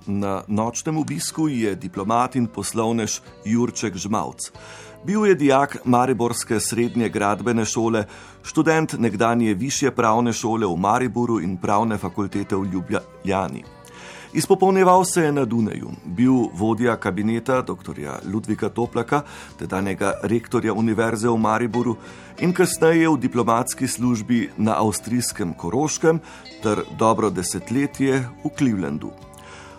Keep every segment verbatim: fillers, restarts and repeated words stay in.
Na nočnem obisku je diplomat in poslovnež Jurček Žmavc. Bil je dijak mariborske srednje gradbene šole, študent nekdanje višje pravne šole v Mariboru in pravne fakultete v Ljubljani. Izpopolnjeval se je na Dunaju, bil vodja kabineta doktorja Ludvika Toplaka, tedanjega rektorja Univerze v Mariboru in kasneje v diplomatski službi na avstrijskem Koroškem ter dobro desetletje v Clevelandu.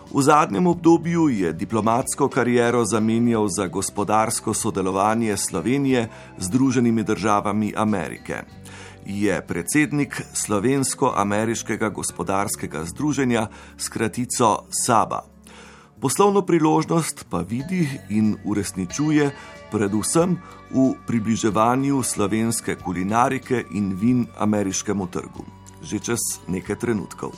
V zadnjem obdobju je diplomatsko kariero zamenjal za gospodarsko sodelovanje Slovenije z Združenimi državami Amerike. Je predsednik Slovensko-ameriškega gospodarskega združenja s kratico SABA. Poslovno priložnost pa vidi in uresničuje predvsem v približevanju slovenske kulinarike in vin ameriškemu trgu. Že čez nekaj trenutkov.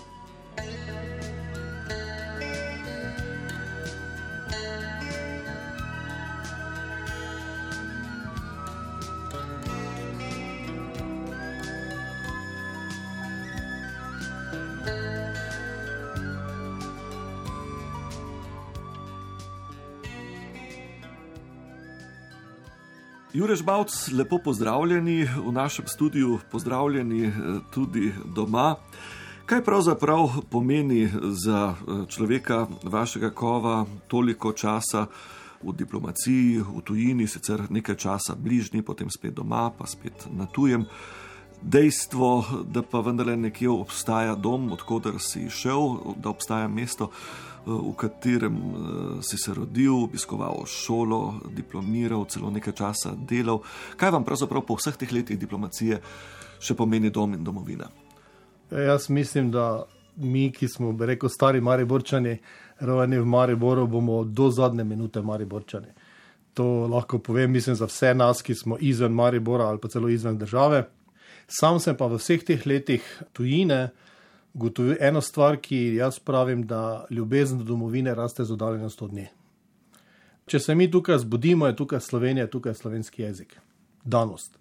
Jure Žmavc, lepo pozdravljeni v našem studiu, pozdravljeni tudi doma. Kaj pravzaprav pomeni za človeka vašega kova toliko časa v diplomaciji, v tujini, sicer nekaj časa bližnji, potem spet doma, pa spet na tujem? Dejstvo, da pa vendarle nekje obstaja dom, odkoder si šel, da obstaja mesto, v katerem si se rodil, obiskoval šolo, diplomiral, celo nekaj časa delal. Kaj vam pravzaprav po vseh teh letih diplomacije še pomeni dom in domovina? Jaz mislim, da mi, ki smo, bi rekel, stari Mariborčani, rojeni v Mariboru, bomo do zadnje minute Mariborčani. To lahko povem, mislim, za vse nas, ki smo izven Maribora ali pa celo izven države. Sam sem pa v vseh teh letih tujine gotovil eno stvar, ki jaz pravim, da ljubezen do domovine raste z oddaljenost od nje. Če se mi tukaj zbudimo, je tukaj Slovenija, tukaj je slovenski jezik. Danost.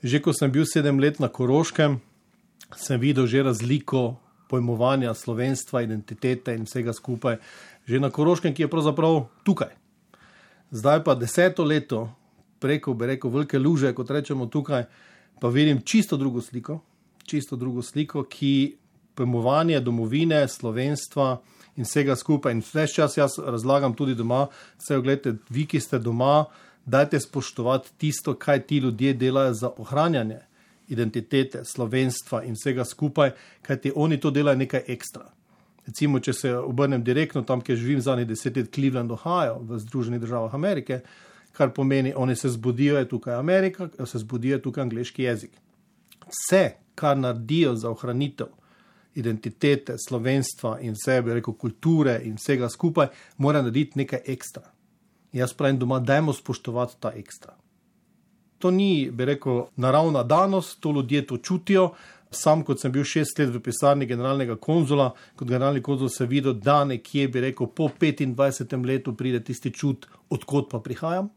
Že ko sem bil sedem let na Koroškem, sem videl že razliko pojmovanja slovenstva, identitete in vsega skupaj. Že na Koroškem, ki je pravzaprav tukaj. Zdaj pa deseto leto, preko, bi rekel, velike luže, kot rečemo tukaj, pa vidim čisto drugo sliko, čisto drugo sliko, ki pojmovanje domovine, slovenstva in vsega skupaj. In vse čas jaz razlagam tudi doma, vse gledajte, vi, ki ste doma, dajte spoštovati tisto, kaj ti ljudje delajo za ohranjanje identitete, slovenstva in vsega skupaj, kajti oni to delajo nekaj ekstra. Recimo, če se obrnem direktno tam, kjer živim zadnjih deset let, Cleveland, Ohio, v Združenih državah Amerike, kar pomeni, oni se zbudijo, je tukaj Amerika, se zbudijo, je tukaj angleški jezik. Vse, kar naredijo za ohranitev identitete, slovenstva in vse, bi rekel, kulture in vsega skupaj, mora narediti nekaj ekstra. Jaz pravim doma, dajmo spoštovati ta ekstra. To ni, bi rekel, naravna danost, to ljudje to čutijo. Sam, kot sem bil šest let v pisarni generalnega konzula, kot generalni konzul se videl, da nekje, bi rekel, po petindvajsetem letu pride tisti čut, odkot pa prihajam.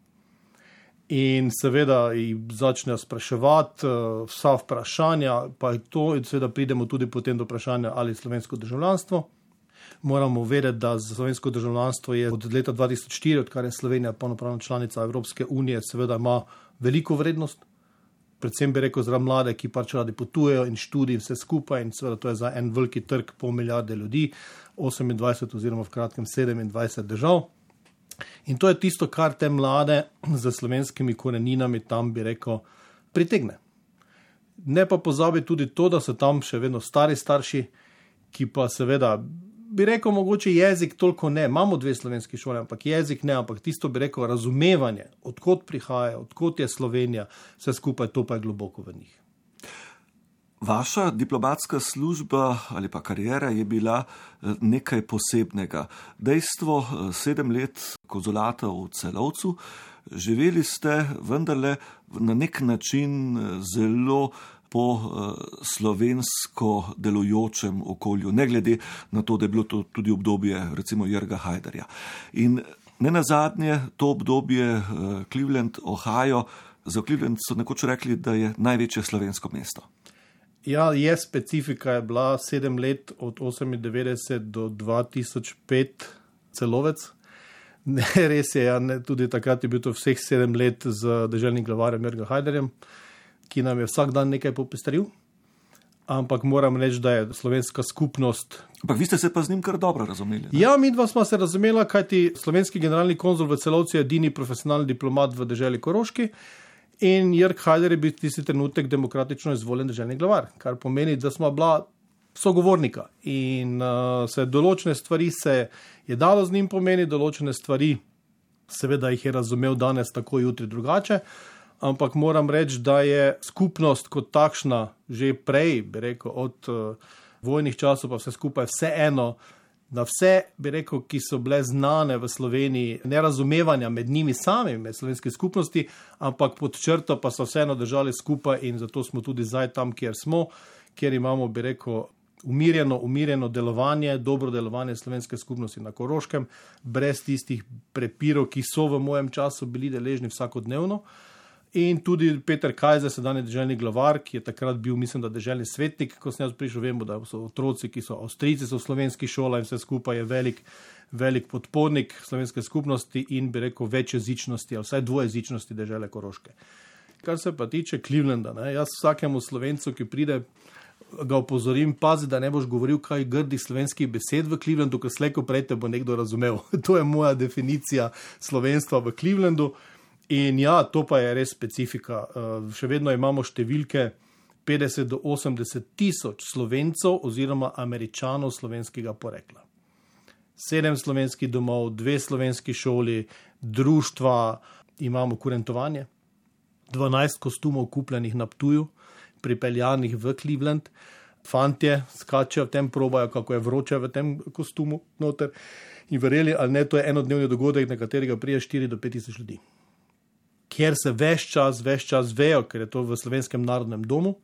In seveda začnejo spraševati vsa vprašanja, pa je to, in seveda pridemo tudi potem do vprašanja, ali slovensko državljanstvo. Moramo vedeti, da slovensko državljanstvo je od leta dva tisoč štiri, odkar je Slovenija polnopravna članica Evropske unije, seveda ima veliko vrednost. Predvsem bi rekel za mlade, ki pač radi potujejo in študij vse skupaj, in seveda to je za en veliki trg pol milijarde ljudi, osemindvajset oziroma v kratkem sedemindvajset držav. In to je tisto, kar te mlade z slovenskimi koreninami tam, bi rekel, pritegne. Ne pa pozabi tudi to, da so tam še vedno stari starši, ki pa seveda, bi rekel, mogoče jezik toliko ne. Imamo dve slovenski šole, ampak jezik ne, ampak tisto, bi rekel, razumevanje, odkot prihaja, odkot je Slovenija, vse skupaj, to pa je globoko v njih. Vaša diplomatska služba ali pa karijera je bila nekaj posebnega. Dejstvo, sedem let konzulata v Celovcu, živeli ste vendarle na nek način zelo po slovensko delujočem okolju, ne glede na to, da je bilo to tudi obdobje recimo Jrga Hajdarja. In ne nazadnje to obdobje Cleveland, Ohio, za Cleveland so nekoč rekli, da je največje slovensko mesto. Ja, je specifika, je bila sedem let od osemindevetdeset do dva tisoč pet celovec. Ne, res je, ja, ne, tudi takrat je bil to vseh sedem let z deželnim glavarjem Jörgom Haiderjem, ki nam je vsak dan nekaj popestril. Ampak moram reči, da je slovenska skupnost... Ampak vi ste se pa z njim kar dobro razumeli. Ne? Ja, mi dva smo se razumela, kajti slovenski generalni konzul v Celovcu je edini profesionalni diplomat v deželi Koroški in Jörg Haider je bil tisti trenutek demokratično izvoljen deželni glavar, kar pomeni, da smo bila sogovornika in uh, se določene stvari se je dalo z njim pomeni, določene stvari seveda jih je razumel danes tako, jutri drugače. Ampak moram reči, da je skupnost kot takšna že prej, bi rekel, od uh, vojnih časov pa vse skupaj vseeno, da vse, bi rekel, ki so bile znane v Sloveniji, nerazumevanja med njimi samimi, med slovenske skupnosti, ampak pod črto pa so vseeno držali skupaj in zato smo tudi zdaj tam, kjer smo, kjer imamo, bi rekel, umirjeno, umirjeno delovanje, dobro delovanje slovenske skupnosti na Koroškem, brez tistih prepirov, ki so v mojem času bili deležni vsakodnevno. In tudi Peter Kajzer, sedanji deželni glavar, ki je takrat bil, mislim, da deželni svetnik, ko sem jaz prišel, vemo, da so otroci, ki so Avstrijci, so v slovenskih šolah in vse skupaj je velik, velik podpornik slovenske skupnosti in bi rekel večjezičnosti, ali vsaj dvojezičnosti dežele Koroške. Kar se pa tiče Clevelanda, ne, jaz vsakemu Slovencu, ki pride, ga opozorim, pazi, da ne boš govoril kaj grdih slovenskih besed v Clevelandu, ker slej ko prej te bo nekdo razumel. To je moja definicija slovenstva v Clevelandu. In ja, to pa je res specifika. Še vedno imamo številke petdeset do osemdeset tisoč Slovencov oziroma Američanov slovenskega porekla. Sedem slovenskih domov, dve slovenski šoli, društva, imamo kurentovanje, dvanajst kostumov kupljenih na Ptuju, pripeljanih v Cleveland. Fantje skačejo v tem, probajo, kako je vroče v tem kostumu noter. In verjeli ali ne, to je enodnevni dogodek, na katerega prije štiri do pet tisoč ljudi. Kjer se ves čas, ves čas vejo, ker je to v Slovenskem narodnem domu,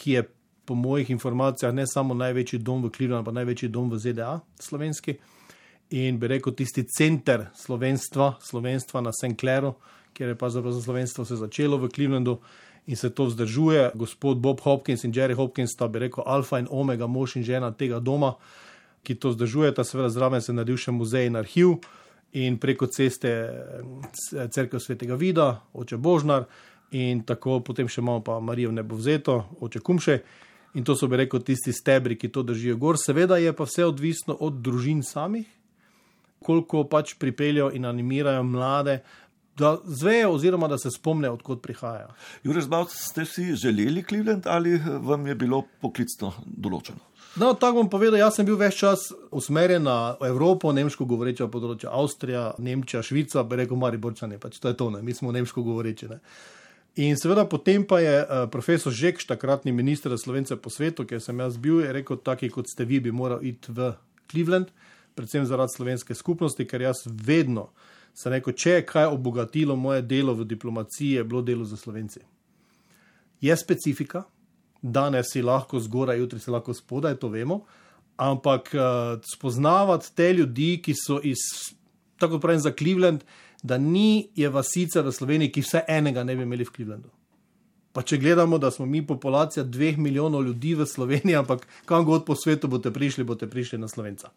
ki je po mojih informacijah ne samo največji dom v Clevelandu, pa največji dom v Z D A, slovenski. In bi rekel tisti center slovenstva, slovenstva na Saint Clairu, kjer je pa za slovenstvo se začelo v Clevelandu in se to vzdržuje. Gospod Bob Hopkins in Jerry Hopkins sta, bi rekel, alfa in omega, mož in žena tega doma, ki to vzdržujeta. Seveda zraven se naredil še muzej in arhiv. In preko ceste cerkev Svetega Vida, oče Božnar in tako potem še imamo pa Marijo Nebovzeto, oče Kumše in to so, bi rekel, tisti stebri, ki to držijo gor. Seveda je pa vse odvisno od družin samih, koliko pač pripeljajo in animirajo mlade, da zvejo oziroma da se spomnejo, odkot prihajajo. Jure Žmavc, ste si želeli Cleveland ali vam je bilo poklicno določeno? No, tako bom povedal, jaz sem bil ves čas usmerjen na Evropo, nemško govoreča področja, Avstrija, Nemčija, Švica, bi rekel Mariborčani, pač to je to, ne, mi smo nemško govoreči, ne. In seveda potem pa je uh, profesor Žekš, takratni minister za Slovence po svetu, kjer sem jaz bil, je rekel, taki kot ste vi, bi moral iti v Cleveland, predvsem zaradi slovenske skupnosti, ker jaz vedno sem rekel, če je kaj obogatilo moje delo v diplomaciji, je bilo delo za Slovenci. Je specifika, danes si lahko zgoraj, jutri si lahko spodaj, to vemo, ampak uh, spoznavati te ljudi, ki so iz, tako pravim za Cleveland, da ni je vasica v Sloveniji, ki vse enega ne bi imeli v Clevelandu. Pa če gledamo, da smo mi populacija dveh milijonov ljudi v Sloveniji, ampak kam god po svetu boste prišli, boste prišli na Slovenca.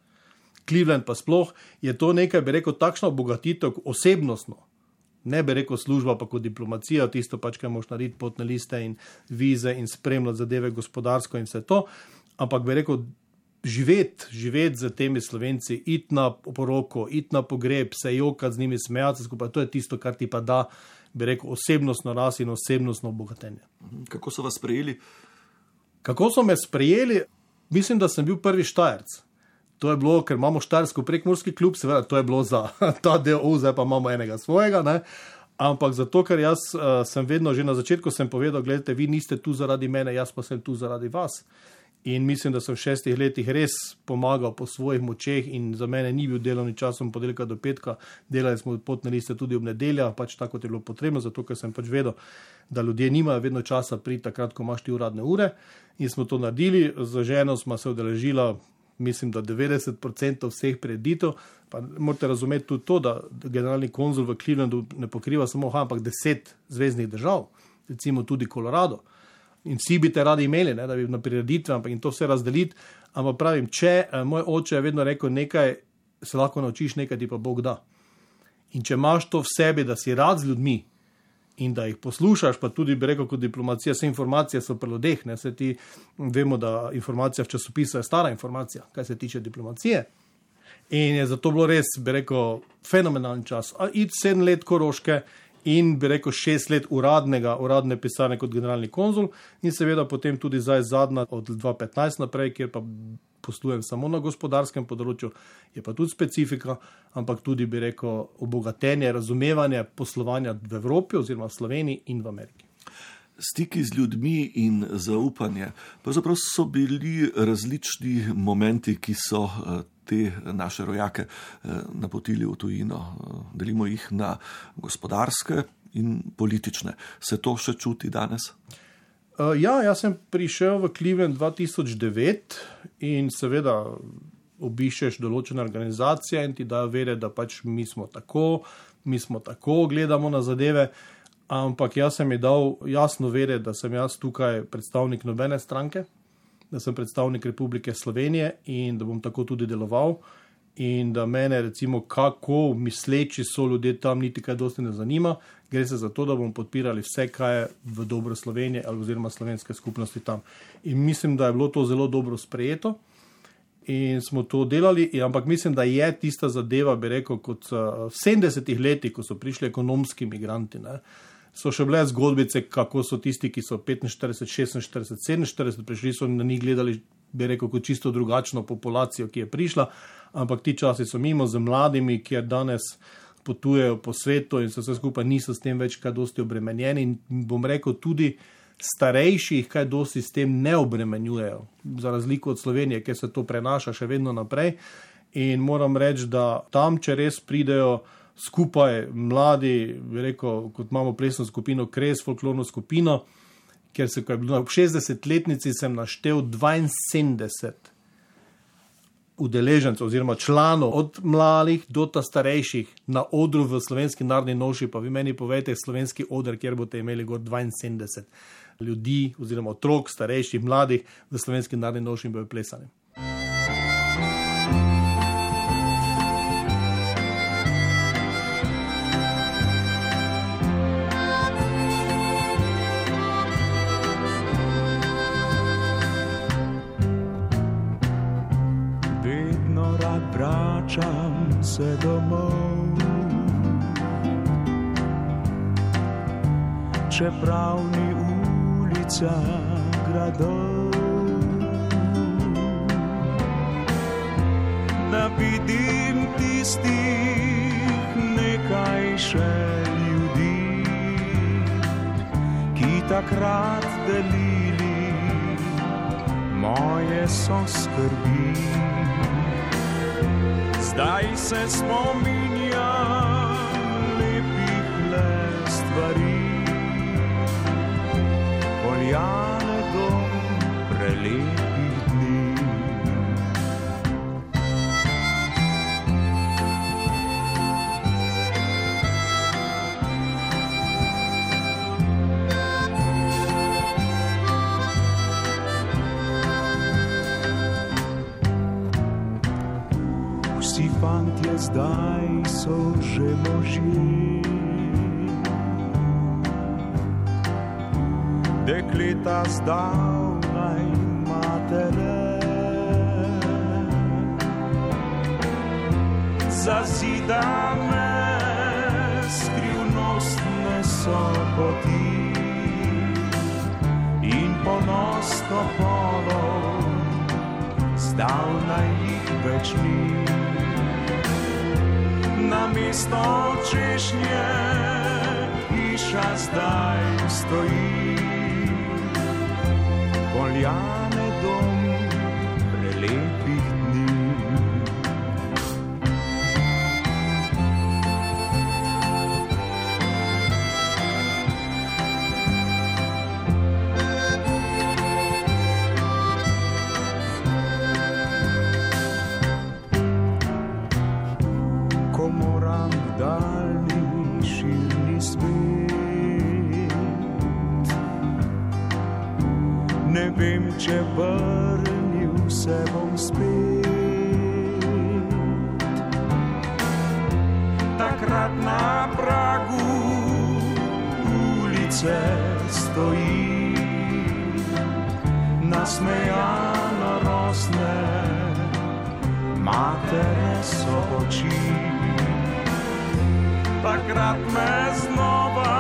Cleveland pa sploh je to nekaj, bi rekel, takšna obogatitev osebnostno. Ne bi rekel služba, pa kot diplomacija, tisto pač, kaj moš narediti, potne liste in vize in spremljati zadeve gospodarsko in vse to, ampak bi rekel, živeti, živeti z temi Slovenci, iti na poroko, iti na pogreb, se jokati z njimi, smejati se skupaj, to je tisto, kar ti pa da, bi rekel, osebnostno rast in osebnostno obogatenje. Kako so vas sprejeli? Kako so me sprejeli? Mislim, da sem bil prvi Štajerc. To je bilo, ker imamo štajersko prekmurski klub, seveda to je bilo za ta del, zdaj pa imamo enega svojega, ne? Ampak zato, ker jaz uh, sem vedno, že na začetku sem povedal, gledajte, vi niste tu zaradi mene, jaz pa sem tu zaradi vas. In mislim, da sem v šestih letih res pomagal po svojih močeh in za mene ni bil delovni čas od ponedeljka do petka, delali smo potne liste tudi ob nedeljah, pač tako je bilo potrebno, zato ker sem pač vedel, da ljudje nimajo vedno časa priti takrat, ko imaš ti uradne ure in smo to naredili, z ženo smo se udeležila, mislim, da devetdeset procentov vseh prireditev, pa morate razumeti tudi to, da generalni konzul v Clevelandu ne pokriva samo, ampak deset zvezdnih držav, recimo tudi Colorado. In vsi bi te radi imeli, ne, da bi na prireditve, ampak in to vse razdeliti. Ampak pravim, če moj oče je vedno rekel, nekaj se lahko naučiš, nekaj ti pa Bog da. In če imaš to v sebi, da si rad z ljudmi in da jih poslušaš, pa tudi bi rekel, kot diplomacija, vse informacije so pri ljudeh, ne, se ti vemo, da informacija v časopisu je stara informacija, kaj se tiče diplomacije. In je zato bilo res, bi rekel, fenomenalen čas. Iti sedem let Koroške in bi rekel šest let uradnega, uradne pisarne kot generalni konzul in seveda potem tudi zdaj zadnja od dva tisoč petnajst naprej, kjer pa poslujem samo na gospodarskem področju, je pa tudi specifika, ampak tudi bi rekel obogatenje, razumevanje poslovanja v Evropi oziroma v Sloveniji in v Ameriki. Stiki z ljudmi in zaupanje. Pravzaprav so bili različni momenti, ki so te naše rojake napotili v tujino. Delimo jih na gospodarske in politične. Se to še čuti danes? Ja, jaz sem prišel v Cleveland dva tisoč devet in seveda obiščeš določene organizacije in ti dajo vedeti, da pač mi smo tako, mi smo tako, gledamo na zadeve. Ampak jaz sem ji dal jasno vedeti, da sem jaz tukaj predstavnik nobene stranke, da sem predstavnik Republike Slovenije in da bom tako tudi deloval in da mene recimo kako misleči so ljudje tam niti kaj dosti ne zanima, gre se za to, da bom podpirali vse, kaj je v dobro Slovenije oziroma slovenske skupnosti tam. In mislim, da je bilo to zelo dobro sprejeto in smo to delali, ampak mislim, da je tista zadeva, bi rekel, kot v sedemdesetih letih, ko so prišli ekonomski migranti, ne, so še bile zgodbice, kako so tisti, ki so petinštirideset, šestinštirideset, sedeminštirideset prišli, so na njih gledali, bi rekel, kot čisto drugačno populacijo, ki je prišla, ampak ti časi so mimo z mladimi, ki danes potujejo po svetu in se vse skupaj niso s tem več kaj dosti obremenjeni in bom rekel tudi starejših kaj dosti s tem ne obremenjujejo, za razliko od Slovenije, kjer se to prenaša še vedno naprej in moram reči, da tam, če res pridejo skupaj mladi, bi rekel, kot imamo plesno skupino Kres, folklorno skupino, ker se ko je bilo v šestdesetletnici sem naštel dvainsedemdeset udeležencev oziroma članov od mladih do ta starejših na odru v Slovenski narodni noši, pa vi meni povejte slovenski oder, kjer boste imeli gor dvainsedemdeset ljudi oziroma otrok, starejših, mladih v Slovenski narodni noši in bojo plesali. Vračam se domov, čeprav ni ulica gradov, da vidim tistih nekaj še ljudi, ki takrat delili moje soskrbi. Zdaj se spominjam lepih le stvari, poljane dom prelepih dni. Vsi fantje zdaj so že možje, dekleta zdavnaj matere, zazidane skrivnostne so poti in ponos topolov zdavnaj jih več ni. Namesto češnje hiša zdaj stoji, poljane dom prelepih dni. vem, če vrnil se bom spet. Takrat na pragu ulice stoji, nasmejano rosne matere so oči. Takrat me znova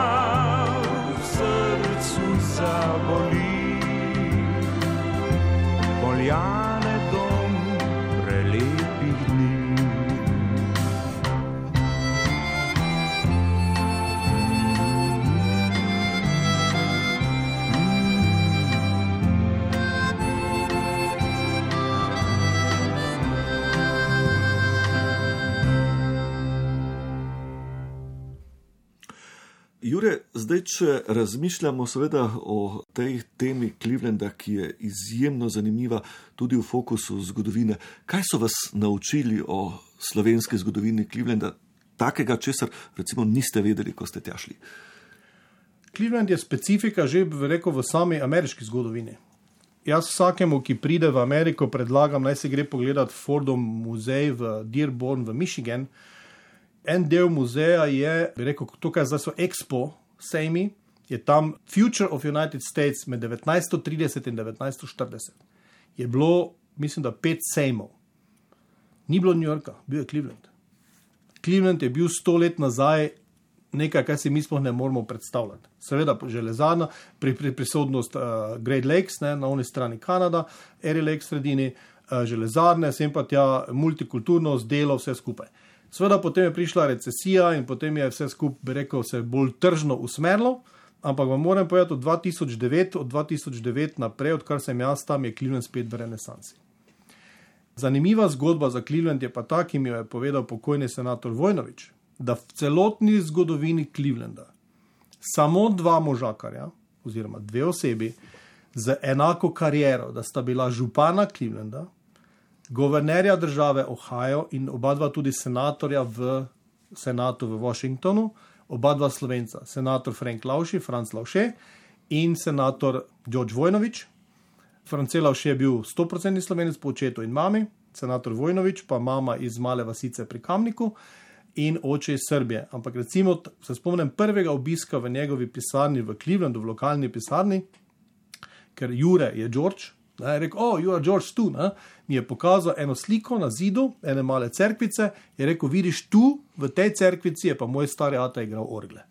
v srcu zaboli, Poljane dom prelepih dni. Jure, zdaj, če razmišljamo seveda o tej temi Clevelanda, ki je izjemno zanimiva tudi v fokusu zgodovine, kaj so vas naučili o slovenski zgodovini Clevelanda, takega, česar recimo niste vedeli, ko ste tja šli? Cleveland je specifika že rekel v sami ameriški zgodovini. Jaz vsakemu, ki pride v Ameriko, predlagam, naj se gre pogledat Fordov muzej v Dearborn v Michigan. En del muzeja je, bi rekel, tukaj zdaj so Expo sejmi, je tam Future of United States med devetnajststo trideset in devetnajststo štirideset. Je bilo, mislim, da pet sejmov. Ni bilo New Yorka, bil je Cleveland. Cleveland je bil sto let nazaj nekaj, kar si mi sploh ne moramo predstavljati. Seveda železarna, pri, pri prisotnost uh, Great Lakes, ne, na oni strani Kanada, Erie Lake sredini, uh, železarne, sem pa tja multikulturnost, delo, vse skupaj. Seveda potem je prišla recesija in potem je vse skupaj, bi rekel, se bolj tržno usmerilo, ampak vam moram povedati, od dva tisoč devet, od dva tisoč devet naprej, odkar sem jaz tam, je Cleveland spet v renesansi. Zanimiva zgodba za Cleveland je pa ta, ki mi jo je povedal pokojni senator Vojnović, da v celotni zgodovini Clevelanda samo dva možakarja, oziroma dve osebi, z enako kariero, da sta bila župana Clevelanda, guvernerja države Ohio in oba dva tudi senatorja v senatu v Washingtonu, oba dva Slovenca, senator Frank Lauši, Franc Lauše in senator George Vojnović. France Lauše je bil sto procentni Slovenec po očetu in mami, senator Vojnović pa mama iz male vasice pri Kamniku in oče iz Srbije. Ampak recimo, se spomnim prvega obiska v njegovi pisarni v Clevelandu, v lokalni pisarni, ker Jure je George, je rekel, oh, you are George tu, ne? Mi je pokazal eno sliko na zidu, ene male cerkvice, je rekel, vidiš tu, v tej cerkvici je pa moj stari ata igral orgle.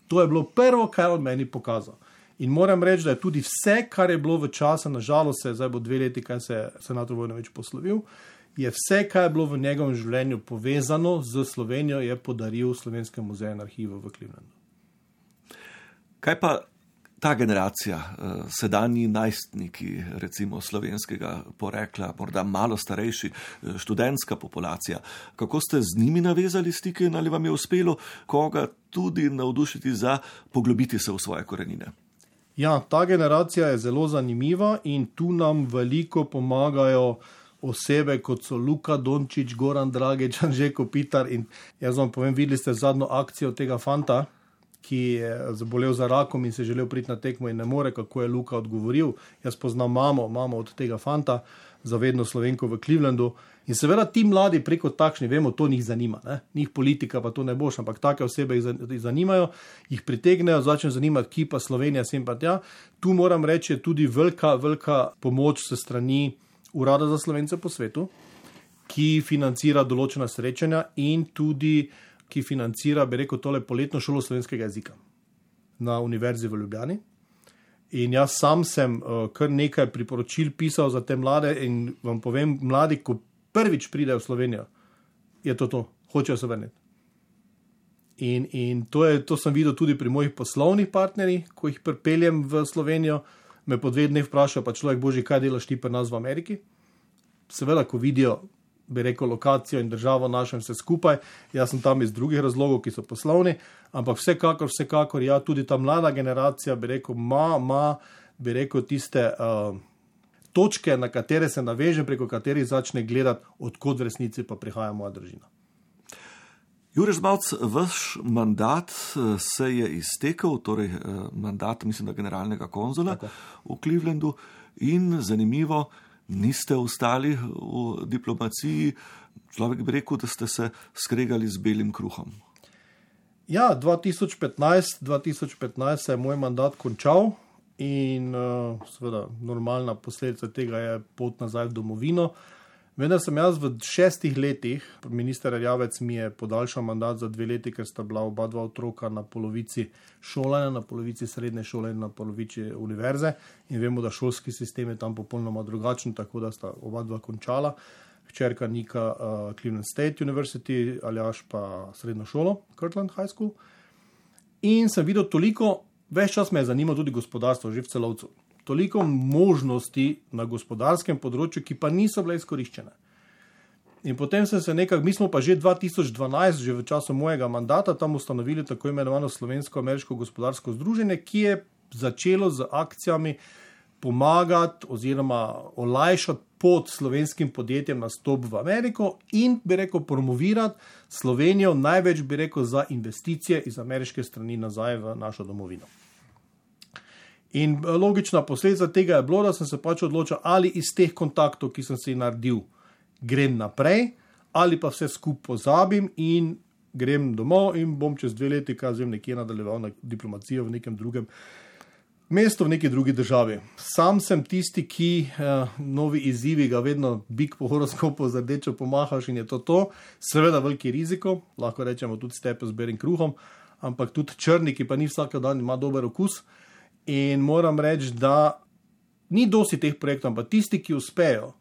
To je bilo prvo, kar on meni pokazal. In moram reči, da je tudi vse, kar je bilo v času, nažalost se zdaj bo dve leti, kaj se je senator Vojnović poslovil, je vse, kar je bilo v njegovem življenju povezano z Slovenijo, je podaril Slovenskem muzeju in arhivu v Clevelandu. Kaj pa ta generacija, sedanji najstniki, recimo slovenskega porekla, morda malo starejši, študentska populacija, kako ste z njimi navezali stike in ali vam je uspelo koga tudi navdušiti za poglobiti se v svoje korenine? Ja, ta generacija je zelo zanimiva in tu nam veliko pomagajo osebe, kot so Luka Dončić, Goran Dragić, Anže Kopitar in jaz vam povem, videli ste zadnjo akcijo tega fanta, ki je zabolel za rakom in se želel priti na tekmo in ne more, kako je Luka odgovoril. Jaz poznam mamo, mamo od tega fanta, zavedno Slovenko v Clevelandu. In seveda ti mladi preko takšni, vemo, to njih zanima. Ne? Njih politika pa to ne boš, ampak take osebe jih zanimajo, jih pritegnejo, začne zanimati, ki pa Slovenija, sem pa tja. Tu moram reči, je tudi velika, velika pomoč se strani Urada za Slovence po svetu, ki financira določena srečanja in tudi ki financira, bi rekel, tole poletno šolo slovenskega jezika na Univerzi v Ljubljani. In jaz sam sem uh, kar nekaj priporočil pisal za te mlade in vam povem, mladi, ko prvič pridejo v Slovenijo, je to to, hočejo se vrniti. In, in to, je, to sem videl tudi pri mojih poslovnih partnerjih, ko jih pripeljem v Slovenijo, me po dve dneh vprašajo, pa človek, boži, kaj delaš ti pri nas v Ameriki? Seveda, ko vidijo, bi rekel, lokacijo in državo našem vse skupaj. Jaz sem tam iz drugih razlogov, ki so poslovni, ampak vsekakor, vsekakor, ja, tudi ta mlada generacija, bi rekel, ma, ma, bi rekel, tiste uh, točke, na katere se naveže, preko katerih začne gledati, odkot v resnici pa prihaja moja družina. Jure Žmavc, vaš mandat se je iztekel, torej mandat, mislim, da generalnega konzula Tako. v Clevelandu in zanimivo, niste ostali v diplomaciji, človek bi rekel, da ste se skregali z belim kruhom. Ja, dva tisoč petnajst se je moj mandat končal in seveda normalna posledica tega je pot nazaj v domovino. Vendar sem jaz v šestih letih, minister Erjavec mi je podaljšal mandat za dve leti, ker sta bila oba dva otroka na polovici šolanja, na polovici srednje šole in na polovici univerze. In vemo, da šolski sistem je tam popolnoma drugačen, tako da sta oba dva končala. Hčerka Nika uh, Cleveland State University, Aljaž pa srednjo šolo, Kirtland High School. In sem videl toliko, več čas me je zanimalo tudi gospodarstvo, že v celovcu. Toliko možnosti na gospodarskem področju, ki pa niso bile izkoriščene. In potem sem se nekako, mi smo pa že dva tisoč dvanajst, že v času mojega mandata, tam ustanovili tako imenovano Slovensko-ameriško gospodarsko združenje, ki je začelo z akcijami pomagati oziroma olajšati pot slovenskim podjetjem na stop v Ameriko in, bi rekel, promovirati Slovenijo največ, bi rekel, za investicije iz ameriške strani nazaj v našo domovino. In logična posledica tega je bilo, da sem se pač odločil, ali iz teh kontaktov, ki sem si naredil, grem naprej, ali pa vse skupaj pozabim in grem domov in bom čez dve leti, kaj zvem, nekje nadaljeval na diplomacijo v nekem drugem mestu, v neki drugi državi. Sam sem tisti, ki eh, novi izzivi ga vedno bik po horoskopu z rdečo pomahaš in je to to. Seveda veliki riziko, lahko rečemo tudi stepe z belim kruhom, ampak tudi črni, ki pa ni vsak dan, ima dober okus. In moram reči, da ni dosti teh projektov, ampak tisti, ki uspejo,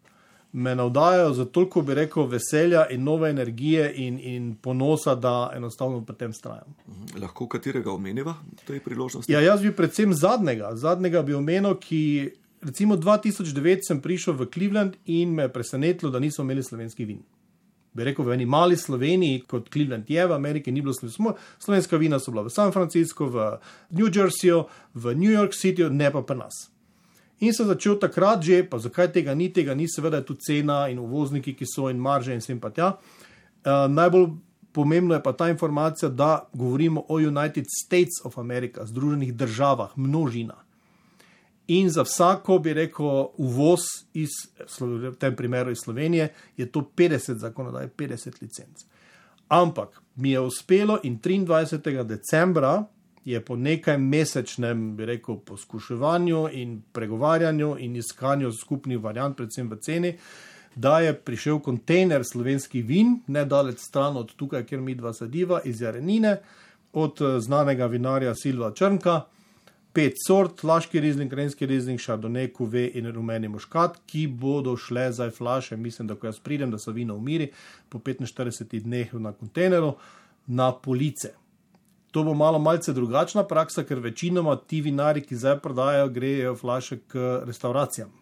me navdajajo za toliko, bi rekel, veselja in nove energije in, in ponosa, da enostavno pri tem vztrajam. Lahko katerega omeniva tej priložnosti? Ja, jaz bi predvsem zadnjega. Zadnjega bi omenil, ki recimo dva tisoč devet sem prišel v Cleveland in me je presenetilo, da nismo imeli slovenskih vin. Bi rekel, v eni mali Sloveniji, kot Cleveland je, v Ameriki ni bilo slovensko. Slovenska vina so bila v San Francisco, v New Jerseyju, v New York Cityju, ne pa pri nas. In sem začel takrat že, pa zakaj tega ni, tega ni, seveda je tu cena in uvozniki, ki so in marže in sem pa tja. Uh, najbolj pomembno je pa ta informacija, da govorimo o United States of America, Združenih državah, množina. In za vsako, bi rekel, uvoz iz, v tem primeru iz Slovenije, je to petdeset zakonodaj, petdeset licenc. Ampak mi je uspelo in triindvajsetega decembra je po nekaj mesečnem, bi rekel, poskuševanju in pregovarjanju in iskanju skupnih variant, predvsem v ceni, da je prišel kontejner slovenskih vin, nedaleč stran od tukaj, kjer mi dva sediva, iz Jarenine, od znanega vinarja Silva Črnka, pet sort, Laški rizling, Krenjski rizling, Chardonnay, Cuvée in rumeni muškat, ki bodo šle za flaše, mislim, da ko jaz pridem, da so vino umiri, po petinštiridesetih dneh na kontejneru, na police. To bo malo malce drugačna praksa, ker večinoma ti vinari, ki zdaj prodajajo, grejo flaše k restauracijam.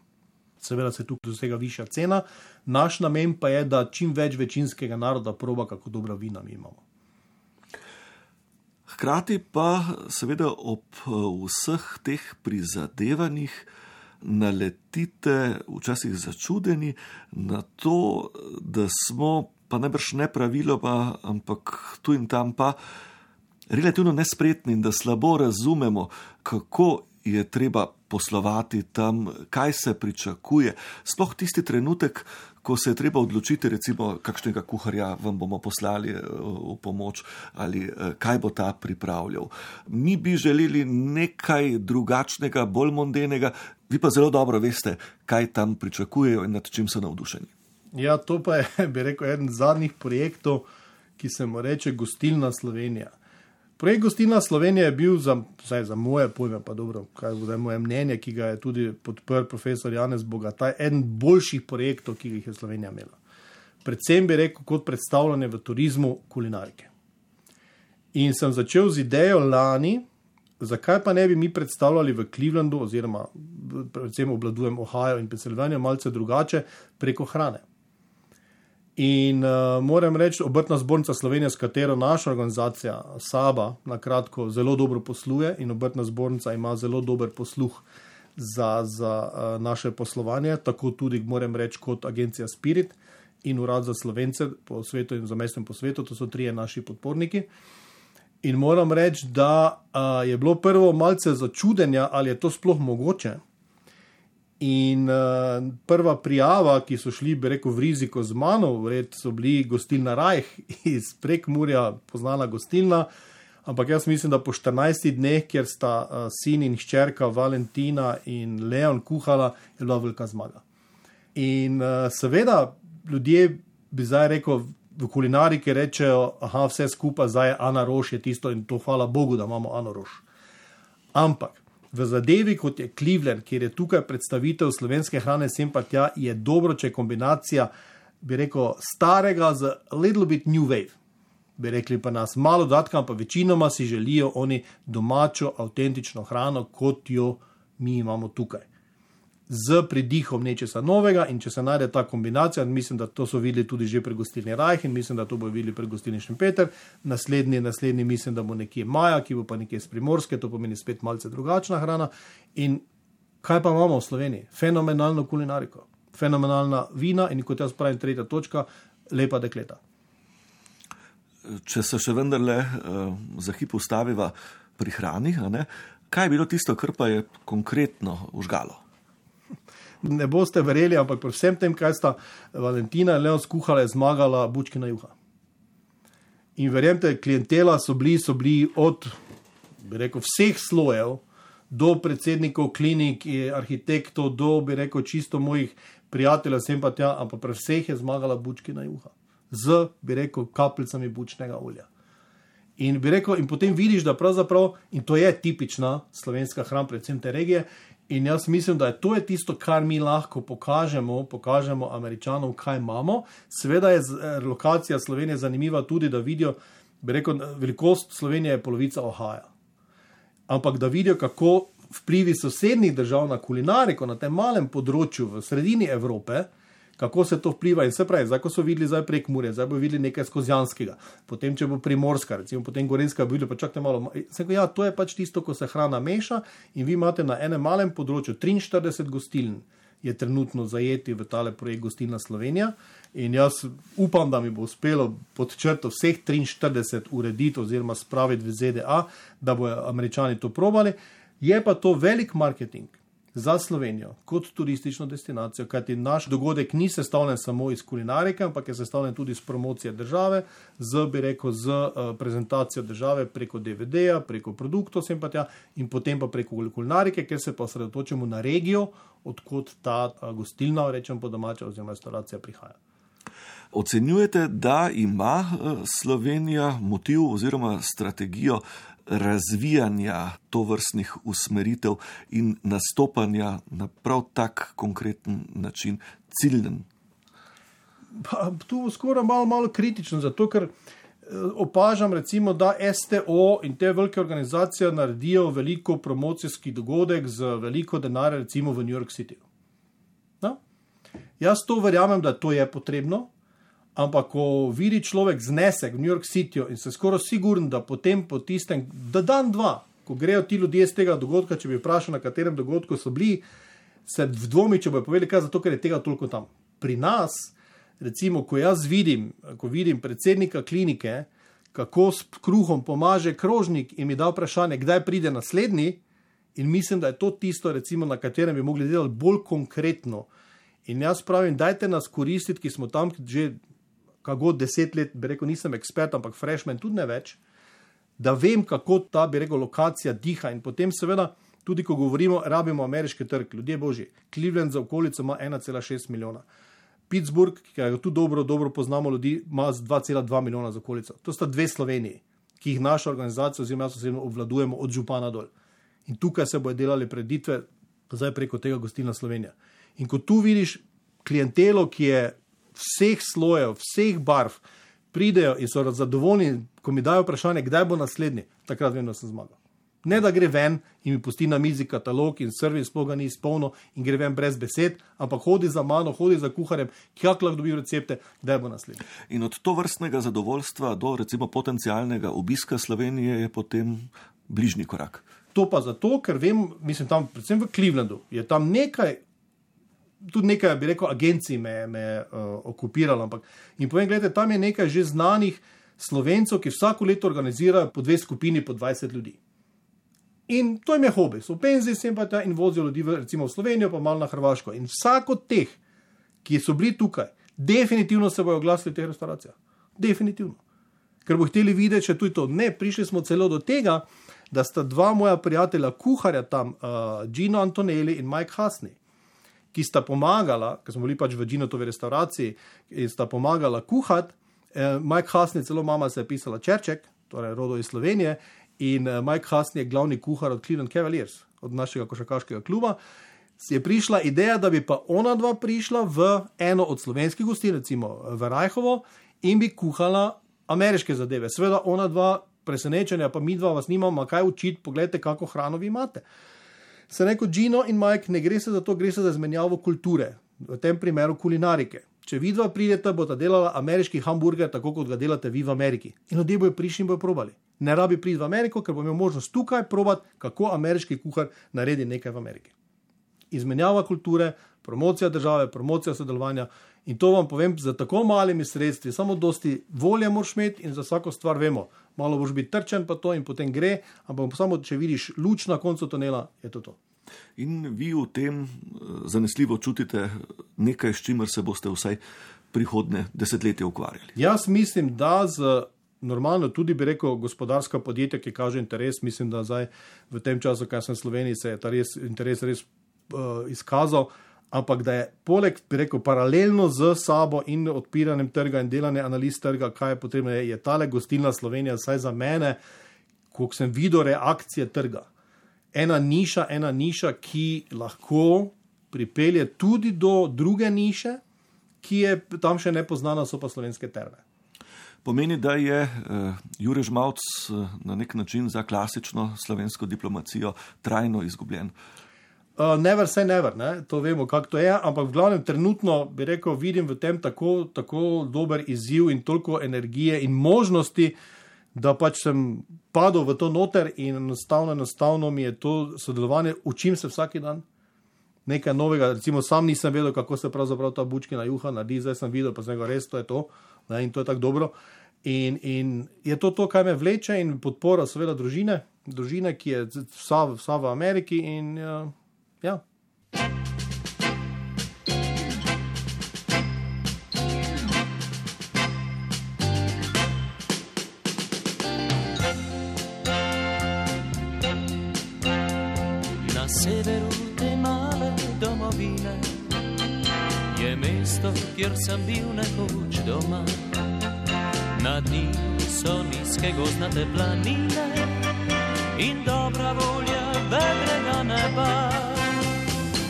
Seveda se tukaj dosega višja cena, naš namen pa je, da čim več večinskega naroda proba, kako dobra vina mi imamo. Hkrati pa seveda ob vseh teh prizadevanjih naletite včasih začudeni na to, da smo, pa najbrž ne praviloma, ampak tu in tam pa relativno nespretni in da slabo razumemo, kako je treba poslovati tam, kaj se pričakuje. Sploh tisti trenutek, ko se je treba odločiti, recimo, kakšnega kuharja vam bomo poslali v pomoč ali kaj bo ta pripravljal. Mi bi želeli nekaj drugačnega, bolj mondenega, vi pa zelo dobro veste, kaj tam pričakujejo in nad čim so navdušeni. Ja, to pa je, bi rekel, eden zadnjih projektov, ki se mu reče Gostilna Slovenija. Projekt Gostilna Slovenija je bil za, vsaj za moje pojme, pa dobro, kaj je moje mnenje, ki ga je tudi podprl profesor Janez Bogataj, eden boljših projektov, ki jih je Slovenija imela. Predvsem bi rekel kot predstavljanje v turizmu kulinarike. In sem začel z idejo lani, zakaj pa ne bi mi predstavljali v Clevelandu, oziroma predvsem obladujem Ohio in Pennsylvania, malce drugače, preko hrane. In uh, moram reči, Obrtna zbornica Slovenije, s katero naša organizacija Saba na kratko zelo dobro posluje in Obrtna zbornica ima zelo dober posluh za, za uh, naše poslovanje, tako tudi moram reči kot agencija Spirit. in Urad za Slovence po svetu in zamestnem po svetu, to so trije naši podporniki. In moram reči, da uh, je bilo prvo malce začudenja, ali je to sploh mogoče. In uh, prva prijava, ki so šli, bi rekel, v riziko z mano, vred so bili gostilna Rajh iz Prekmurja, poznana gostilna, ampak jaz mislim, da po štirinajstih dneh, kjer sta uh, sin in hčerka Valentina in Leon kuhala, je bila velika zmaga. In uh, seveda ljudje bi zdaj rekel, v kulinariki rečejo, aha, vse skupaj, zdaj je Ana Roš je tisto in to hvala Bogu, da imamo Ano Roš. Ampak v zadevi, kot je Cleveland, kjer je tukaj predstavitev slovenske hrane sem pa tja, je dobro, če je kombinacija, bi rekel, starega z a little bit new wave. Bi rekli pa nas malo dodatka, pa večinoma si želijo oni domačo, avtentično hrano, kot jo mi imamo tukaj. Z pridihom nečesa novega in če se najde ta kombinacija, mislim, da to so videli tudi že pri gostilni Rajh in mislim, da to bo videli pri gostilni Šempeter. Naslednji, naslednji mislim, da bo nekje Maja, ki bo pa nekje z Primorske, to pomeni spet malce drugačna hrana. In kaj pa imamo v Sloveniji? Fenomenalno kulinariko, fenomenalna vina in kot jaz pravim, tretja točka, lepa dekleta. Če se še vendarle uh, za hip ustaviva pri hrani, a ne? Kaj je bilo tisto, kar pa je konkretno užgalo? Ne boste verjeli, ampak pri vsem tem, kaj sta Valentina in Leon skuhala, je zmagala bučkina juha. In verjemte, klientela so bili, so bili od, bi rekel, vseh slojev, do predsednikov klinik, arhitektov, do, bi rekel, čisto mojih prijateljev, sem pa tja, ampak pri vseh je zmagala bučkina juha. Z, bi rekel, kapljicami bučnega olja. In bi rekel, in potem vidiš, da pravzaprav, in to je tipična slovenska hrana, predvsem te regije, in jaz mislim, da je to je tisto, kar mi lahko pokažemo, pokažemo Američanom, kaj imamo. Seveda je lokacija Slovenije zanimiva tudi, da vidijo, bi rekel, velikost Slovenije je polovica Ohaja. Ampak da vidijo, kako vplivi sosednjih držav na kulinariko, na tem malem področju v sredini Evrope, kako se to vpliva in se pravi, zdaj, ko so videli zdaj Prekmurje, zdaj bo videli nekaj Skozjanskega, potem, če bo Primorska, recimo, potem Gorenjska, bo videli, pa čakajte malo, se, ja, to je pač tisto, ko se hrana meša in vi imate na enem malem področju triinštirideset gostiln je trenutno zajeti v tale projekt Gostilna Slovenija in jaz upam, da mi bo uspelo pod črto vseh triinštirideset urediti oziroma spraviti v Z D A, da bojo Američani to probali, je pa to velik marketing za Slovenijo kot turistično destinacijo, kajti naš dogodek ni sestavljen samo iz kulinarike, ampak je sestavljen tudi iz promocije države, z, bi rekel, z uh, prezentacijo države preko D V D-ja, preko produktov sem pa tja in potem pa preko kulinarike, ker se pa osredotočimo na regijo, odkot ta uh, gostilna, rečem po domače, oziroma restauracija prihaja. Ocenjujete, da ima uh, Slovenija motiv oziroma strategijo razvijanja tovrstnih usmeritev in nastopanja na prav tak konkreten način, ciljen? Pa, tu skoraj malo, malo kritično, zato ker opažam recimo, da S T O in te velike organizacije naredijo veliko promocijski dogodek z veliko denarja recimo v New York City. No? Jaz to verjamem, da to je potrebno, ampak ko vidi človek znesek v New York Cityju in se skoraj siguren, da potem po tistem, da dan dva, ko grejo ti ljudje z tega dogodka, če bi vprašal, na katerem dogodku so bili, se v dvomi, če bojo povedali, kaj zato, ker je tega toliko tam. Pri nas, recimo, ko jaz vidim, ko vidim predsednika klinike, kako s kruhom pomaže krožnik in mi da vprašanje, kdaj pride naslednji, in mislim, da je to tisto, recimo, na katerem bi mogli delati bolj konkretno. In jaz pravim, dajte nas koristiti, ki smo tam že kako deset let, bi rekel, nisem ekspert, ampak freshman tudi ne več, da vem, kako ta, bi rekel, lokacija diha in potem seveda, tudi ko govorimo, rabimo ameriški trg, ljudje božji, Cleveland za okolico ima ena cela šest milijona, Pittsburgh, ki ga tudi dobro, dobro poznamo ljudi, ima dva cela dva milijona za okolico. To sta dve Sloveniji, ki jih naša organizacija oziroma jaz osebno obvladujemo od župana dol. In tukaj se bojo delali preditve, zdaj preko tega Gostilna Slovenija. In ko tu vidiš klientelo, ki je vseh slojev, vseh barv, pridejo in so zadovoljni, ko mi dajo vprašanje, kdaj bo naslednji, takrat vem, da sem zmagal. Ne, da gre ven in mi pusti na mizi katalog in servis sploh ga ni izpolnil in gre ven brez besed, ampak hodi za mano, hodi za kuharjem, kak lahko dobi recepte, kdaj bo naslednji. In od to vrstnega zadovoljstva do recimo potencialnega obiska Slovenije je potem bližnji korak. To pa zato, ker vem, mislim tam, predvsem v Clevelandu, je tam nekaj tudi nekaj, bi rekel, agencij me, me uh, okupiralo, ampak in povem, gledajte, tam je nekaj že znanih Slovencov, ki vsako leto organizirajo po dve skupini po dvajset ljudi. In to jim je hobi, so v penziji sem pa ta in vozijo ljudi v, recimo v Slovenijo, pa malo na Hrvaško. In vsak od teh, ki so bili tukaj, definitivno se bojo oglasili v teh restauracijah. Definitivno. Ker bo hteli videti, če tudi to. Ne, prišli smo celo do tega, da sta dva moja prijatelja kuharja tam, uh, Gino Antonelli in Mike Hasney, ki sta pomagala, ker smo bili pač v Ginotovi restauraciji, in sta pomagala kuhati. Uh, Mike Hasney, celo mama se je pisala Čerček, torej rodo iz Slovenije, in uh, Mike Hasney je glavni kuhar od Cleveland Cavaliers, od našega košarkaškega kluba. Je prišla ideja, da bi pa ona dva prišla v eno od slovenskih gostiln, recimo v Rajhovo, in bi kuhala ameriške zadeve. Seveda ona dva presenečenja, pa mi dva vas nimamo kaj učiti, pogledajte, kako hrano vi imate. Se neko Gino in Mike, ne gre se za to, gre se za izmenjavo kulture, v tem primeru kulinarike. Če vi dva pridete, boste delala ameriški hamburger, tako kot ga delate vi v Ameriki. In ljudje bojo prišli in bojo probali. Ne rabi priti v Ameriko, ker bo imel možnost tukaj probati, kako ameriški kuhar naredi nekaj v Ameriki. Izmenjava kulture, promocija države, promocija sodelovanja. In to vam povem, za tako malimi sredstvi, samo dosti volje moraš imeti in za vsako stvar vemo. Malo boš biti trčen pa to in potem gre, ampak samo, če vidiš luč na koncu tunela, je to to. In vi v tem zanesljivo čutite nekaj, s čimer se boste vsaj prihodnje desetletje ukvarjali. Jaz mislim, da z normalno tudi bi rekel gospodarska podjetja, ki kaže interes, mislim, da zdaj v tem času, kaj sem v Sloveniji, se je ta res, interes res uh, izkazal, ampak da je poleg, bi rekel, paralelno z sabo in odpiranjem trga in delanje analiz trga, kaj je potrebno, je, je tale gostilna Slovenija, saj za mene, koliko sem videl reakcije trga. Ena niša, ena niša, ki lahko pripelje tudi do druge niše, ki je tam še nepoznana, so pa slovenske terme. Pomeni, da je uh, Jure Žmavc uh, na nek način za klasično slovensko diplomacijo trajno izgubljen. Uh, never say never, ne? To vemo, kako to je, ampak v glavnem trenutno, bi rekel, vidim v tem tako, tako dober izziv in toliko energije in možnosti, da pač sem padel v to noter in enostavno, enostavno mi je to sodelovanje, učim se vsaki dan nekaj novega, recimo sam nisem vedel, kako se pravzaprav ta bučkina juha naredi, zdaj sem videl, pa sem ga res, to je to, ne? In to je tako dobro. In, in je to to, kaj me vleče in podpora seveda družine, družine, ki je vsa, vsa v Ameriki in uh, ja. Na severu te male domovine je mesto, kjer sem bil nekoč doma. Nad njim so nizke gozdnate planine in dobra volja vedrega neba.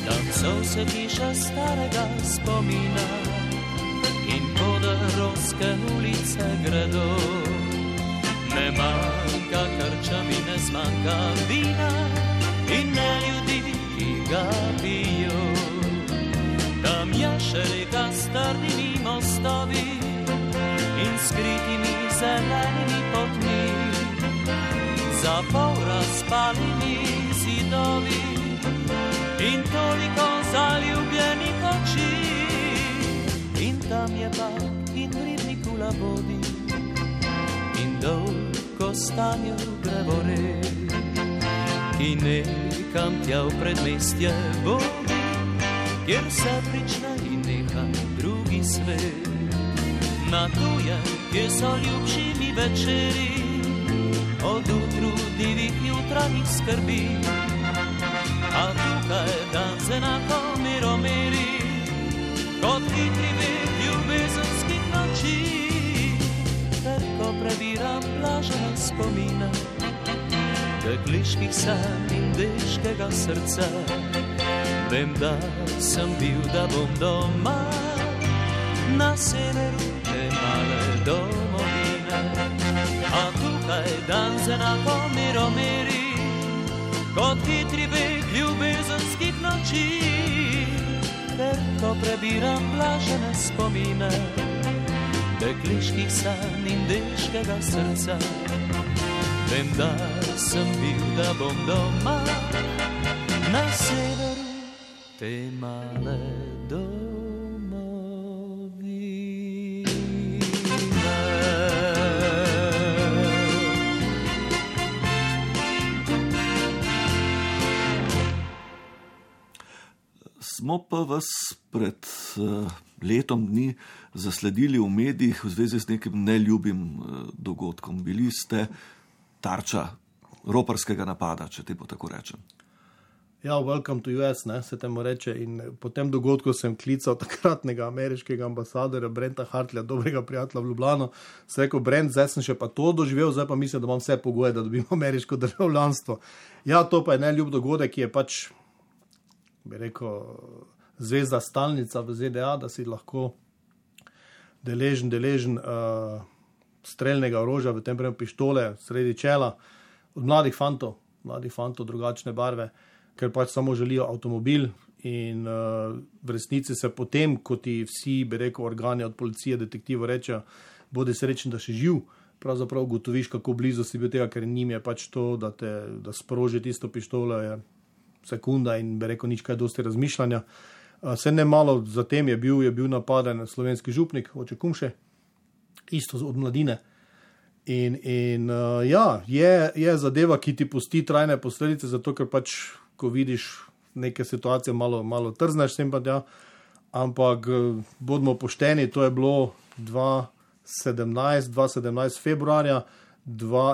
Tam so se hiše starega spomina in podarovske ulice gredo. Ne manjka krčam in ne zmanjka vina in ne ljudi, ki ga pijo. Tam je še reka s trdimi mostovi in skritimi zelenimi potmi, za pol razpalimi zidovi in toliko zaljubljenih oči. In tam je park in ribnik v labodi in dolg kostanjev drevore, ki nekam tja v predmestje vodi, kjer se prične in neha drugi svet. Na tuje, kjer so ljubšimi večeri, od utrudivih jutranjih skrbi. A tukaj dan se enako miromiri, kot hitri beg ljubezenskih noči. Ter ko prebiram blažene spomine, dekliških sanj in deškega srca, vem, da sem bil, da bom doma, na severu te male domovine. A tukaj dan se enako miromiri, kot hitri beg ljubezenskih noči. Ter ko prebiram blažene spomine, dekliških sanj in deškega srca, vem, da sem bil, da bom doma, na severu te male domovine. Smo pa vas pred uh, letom dni zasledili v medijih v zvezi z nekim neljubim uh, dogodkom. Bili ste tarča roparskega napada, če te bo tako rečem. Ja, welcome to U S, ne, se temu reče. In po tem dogodku sem klical takratnega ameriškega ambasadora Brenta Hartleja, dobrega prijatelja v Ljubljano. Se rekel, Brent, zdaj sem še pa to doživel, zdaj pa mislim, da imam vse pogoje, da dobim ameriško državljanstvo. Ja, to pa je neljub dogodek, ki je pač, bi rekel, zvezda stalnica v Z D A, da si lahko deležen, deležen uh, streljnega orožja, v tem primeru pištole, sredi čela, od mladih fantov, mladih fantov drugačne barve, ker pač samo želijo avtomobil in uh, v resnici se potem, ko ti vsi, bi rekel, organi od policije, detektivo rečejo, bodi srečen, da še živ, pravzaprav ugotoviš, kako blizu si bil tega, ker njim je pač to, da te da sproži tisto pištolo, je sekunda in bi rekel, nič kaj dosti razmišljanja. Uh, se ne malo zatem je bil, je bil napaden slovenski župnik, oče Kumše, isto od mladine. In, in uh, ja, je, je zadeva, ki ti pusti trajne posledice, zato ker pač ko vidiš neke situacije, malo, malo trzneš sem pa tja, ampak bodimo pošteni, to je bilo dva sedemnajst februarja,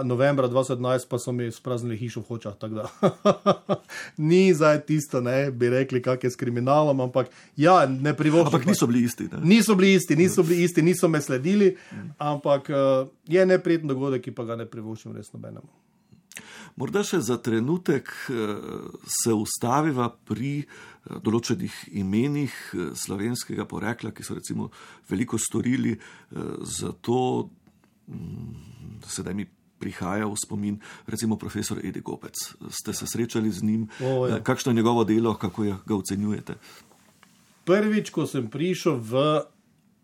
novembra dva sedemnajst pa so mi spraznili hišo v Hočah, tako da ni zdaj tisto, ne, bi rekli, kak je s kriminalom, ampak ja, ne privoščim. Ampak niso bili isti, ne? Niso bili isti, niso bili isti, niso me sledili, ampak uh, je neprijeten dogodek, ki pa ga ne privoščim res nobenemu. Morda še za trenutek se ustaviva pri določenih imenih slovenskega porekla, ki so recimo veliko storili za to, sedaj mi prihaja v spomin, recimo profesor Edi Gobec. Ste se srečali z njim? O, ja. Kakšno je njegovo delo, kako ga ocenjujete? Prvič, ko sem prišel v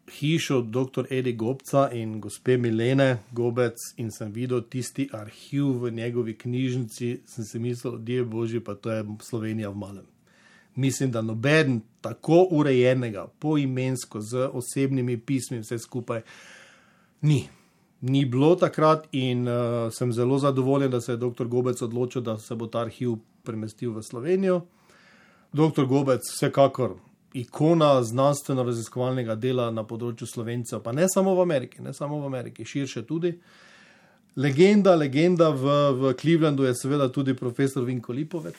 hišo doktor Edi Gobca in gospe Milene Gobec in sem videl tisti arhiv v njegovi knjižnici, sem si mislil, die božji, pa to je Slovenija v malem. Mislim, da noben tako urejenega, poimensko, z osebnimi pismi, vse skupaj, ni. Ni bilo takrat in uh, sem zelo zadovoljen, da se je doktor Gobec odločil, da se bo ta arhiv premestil v Slovenijo. doktor Gobec vsekakor ikona znanstveno-raziskovalnega dela na področju Slovencev, pa ne samo v Ameriki, ne samo v Ameriki, širše tudi. Legenda, legenda v, v Clevelandu je seveda tudi profesor Vinko Lipovec,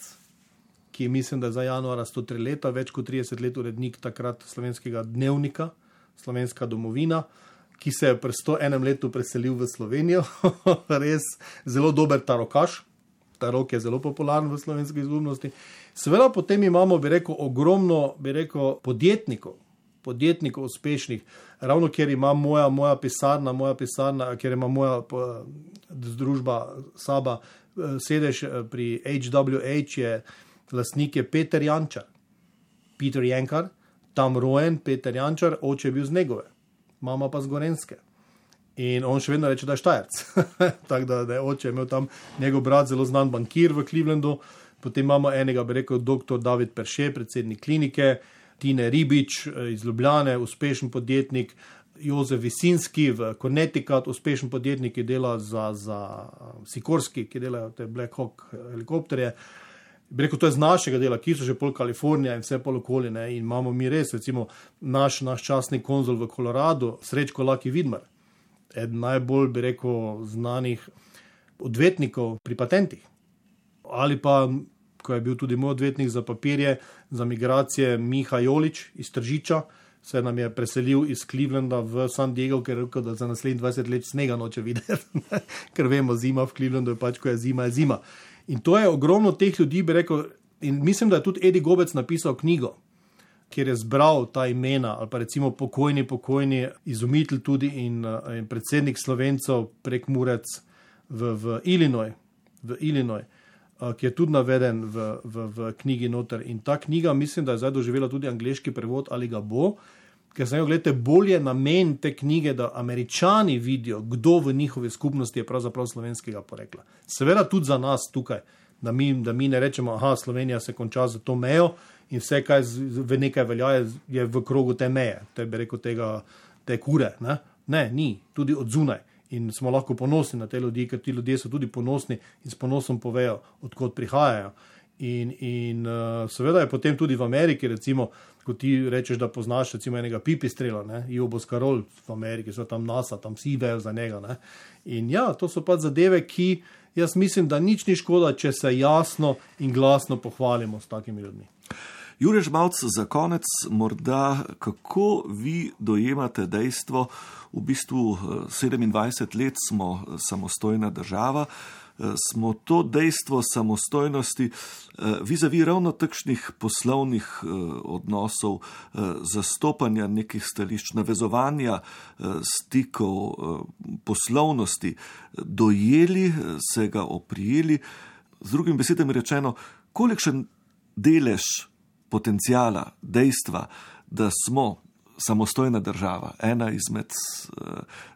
ki mislim, da je za januara sto tri leta, več kot trideset let urednik takrat slovenskega dnevnika, Slovenska domovina, ki se je pri sto enem letu preselil v Slovenijo, res zelo dober tarokaš. Tarok je zelo popularen v slovenski skupnosti. Seveda potem imamo, bi rekel, ogromno, bi rekel, podjetnikov, podjetnikov uspešnih, ravno ker ima moja, moja pisarna, moja pisarna, ker ima moja družba Saba sedež pri H W H, je lastnik je Peter Jančar, Peter Jankar, tam rojen Peter Jančar, oče je bil z Negove, mama pa z Gorenjske. In on še vedno reče, da je Štajerc. Tako da, da je oče imel tam njegov brat, zelo znan bankir v Clevelandu. Potem imamo enega, bi rekel, doktor David Perše, predsednik klinike, Tine Ribič iz Ljubljane, uspešen podjetnik, Jozef Visinski v Connecticut, uspešen podjetnik, ki dela za, za Sikorski, ki delajo te Black Hawk helikopterje. Bi rekel, to je z našega dela, ki so že pol Kalifornija in vse pol okoli, ne? In imamo mi res, recimo, naš, naš častni konzul v Koloradu, Srečko Laki Vidmar, eden najbolj, bi rekel, znanih odvetnikov pri patentih. Ali pa, ko je bil tudi moj odvetnik za papirje, za migracije, Miha Jolič iz Tržiča, se nam je preselil iz Clevelanda v San Diego, ker je rekel, da za naslednjih dvajset let snega noče videti, ker vemo, zima v Clevelandu je pač, ko je zima, je zima. In to je ogromno teh ljudi, bi rekel, in mislim, da je tudi Edi Gobec napisal knjigo, kjer je zbral ta imena, ali pa recimo pokojni, pokojni izumitelj tudi in, in predsednik Slovencev prek Murec v, v Illinois, v Illinois, ki je tudi naveden v, v, v knjigi noter. In ta knjiga, mislim, da je zdaj doživela tudi angleški prevod, ali ga bo, ker sem jo, gledajte, bolje namen te knjige, da Američani vidijo, kdo v njihovi skupnosti je pravzaprav slovenskega porekla. Seveda tudi za nas tukaj, da mi, da mi ne rečemo, aha, Slovenija se konča za to mejo, in vse, kaj v nekaj velja, je v krogu te meje, te bi rekel tega, te kure. Ne? ne, ni, tudi od zunaj. In smo lahko ponosni na te ljudi, ker ti ljudje so tudi ponosni in s ponosom povejo, odkot prihajajo. In, in uh, seveda je potem tudi v Ameriki, recimo, ko ti rečeš, da poznaš recimo enega Pipistrela, ne, Ivo Boscarol v Ameriki, so tam NASA, tam vsi vejo za njega. Ne. In ja, to so pa zadeve, ki jaz mislim, da nič ni škoda, če se jasno in glasno pohvalimo s takimi ljudmi. Jure Žmavc, za konec morda, kako vi dojemate dejstvo, v bistvu sedemindvajset let smo samostojna država, smo to dejstvo samostojnosti vizavi ravno takšnih poslovnih odnosov, zastopanja nekih stališč, navezovanja stikov, poslovnosti, dojeli, se ga oprijeli, z drugim besedami rečeno, kolikšen delež potencijala, dejstva, da smo samostojna država, ena izmed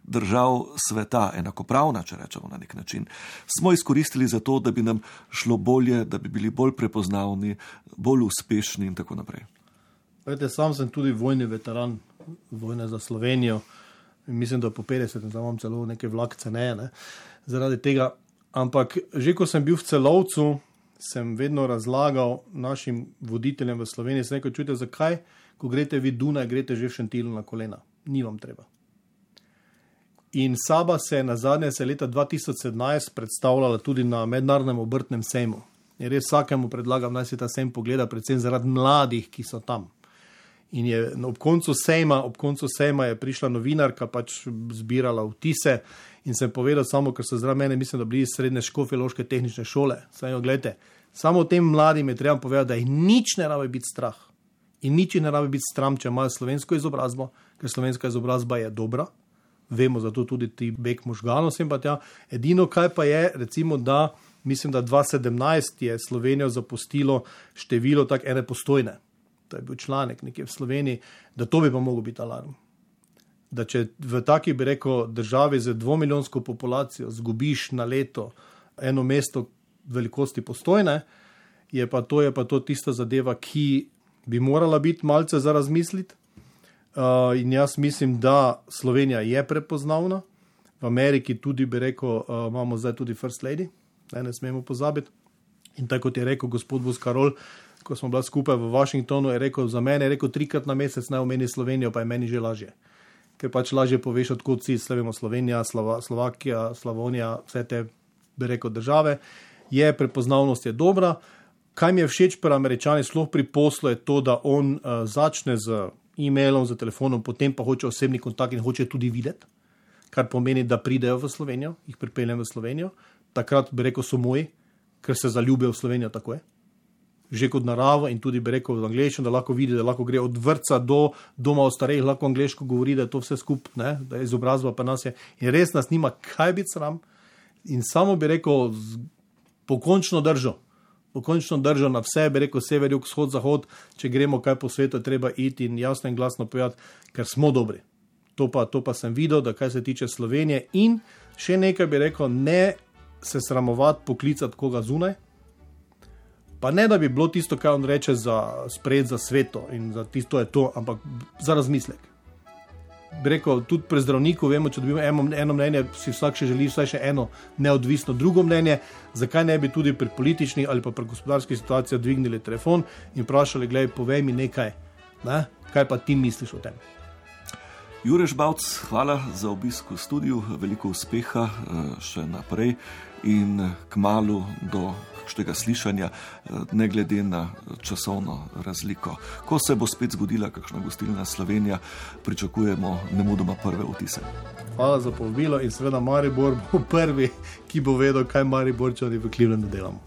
držav sveta, enakopravna, če rečemo na nek način, smo izkoristili za to, da bi nam šlo bolje, da bi bili bolj prepoznavni, bolj uspešni in tako naprej. Vete, sam sem tudi vojni veteran, vojne za Slovenijo, mislim, da po petdesetem imam celo neke vlakce, ne, ne, zaradi tega, ampak že ko sem bil v Celovcu, sem vedno razlagal našim voditeljem v Sloveniji, sem rekel, čujte, zakaj, ko greste vi Dunaj, greste že v Šentilu na kolena. Ni vam treba. In Saba se je na zadnje se leta dva tisoč sedemnajst predstavljala tudi na mednarodnem obrtnem sejmu. In res vsakemu predlagam, naj si ta sejm pogleda, predvsem zaradi mladih, ki so tam. In je ob koncu sejma, ob koncu sejma je prišla novinarka, pač zbirala vtise in sem povedal samo, ker so zraven mene, mislim, da bili iz srednje škofjeloške tehnične šole. Saj jo, gledajte, samo tem mladim je treba povedati, da jih nič ne rabi biti strah. In nič ne rabi biti stram, če imajo slovensko izobrazbo, ker slovenska izobrazba je dobra. Vemo zato tudi ti beg možganov sem pa tja. Edino, kaj pa je, recimo, da mislim, da dva tisoč sedemnajst je Slovenijo zapustilo število tak ene Postojne. To je bil članek nekje v Sloveniji, da to bi pa mogel biti alarm. Da če v taki, bi rekel, državi z dvomilijonsko populacijo zgubiš na leto eno mesto velikosti Postojne, je pa to, je pa to tista zadeva, ki bi morala biti malce za razmisliti. Uh, in jaz mislim, da Slovenija je prepoznavna. V Ameriki tudi, bi rekel, uh, imamo zdaj tudi First Lady, ne, ne smemo pozabiti. In tako kot je rekel gospod Boscarol, ko smo bila skupaj v Washingtonu, je rekel, za mene je rekel trikrat na mesec naj omeni Slovenijo, pa je meni že lažje. Ker pač lažje poveš, odkud si, slavimo Slovenija, Slova, Slovakija, Slavonija, vse te, bi rekel, države. Je, prepoznavnost je dobra. Kaj mi je všeč pri Američani, sploh pri poslu, je to, da on uh, začne z e-mailom, z telefonom, potem pa hoče osebni kontakt in hoče tudi videti, kar pomeni, da pridejo v Slovenijo, jih pripeljem v Slovenijo. Takrat, bi rekel, so moji, ker se zaljubijo v Slovenijo, tako je. Že kot naravo in tudi, bi rekel, v angleščino, da lahko vidi, da lahko gre od vrtca do doma v starejih, lahko angleško govori, da je to vse skup, ne, da je izobrazba pa nas je. In res nas nima kaj biti sram. In samo, bi rekel, pokončno držo. Pokončno držo na vse, bi rekel, sever, jug, vzhod, zahod, če gremo kaj po svetu, treba iti in jasno in glasno povedati, ker smo dobri. To pa, to pa sem videl, da kaj se tiče Slovenije in še nekaj bi rekel, ne se sramovati, poklicati koga zunaj, pa ne, da bi bilo tisto, kaj on reče za spred, za sveto in za tisto je to, ampak za razmislek. Bi rekel, tudi pri zdravniku vemo, če dobimo eno, eno mnenje, si vsak še želi vsaj še eno neodvisno drugo mnenje, zakaj ne bi tudi pri političnih ali pa pri gospodarskih situacijah dvignili telefon in vprašali, glej, povej mi nekaj, ne? Kaj pa ti misliš o tem? Jure Žmavc, hvala za obisk v studiu, veliko uspeha še naprej in kmalu do kakšnega slišanja, ne glede na časovno razliko. Ko se bo spet zgodila kakšna gostilna Slovenija, pričakujemo nemudoma prve vtise. Hvala za povabilo in seveda Maribor bo prvi, ki bo vedel, kaj Mariborčani v Clevelandu delamo.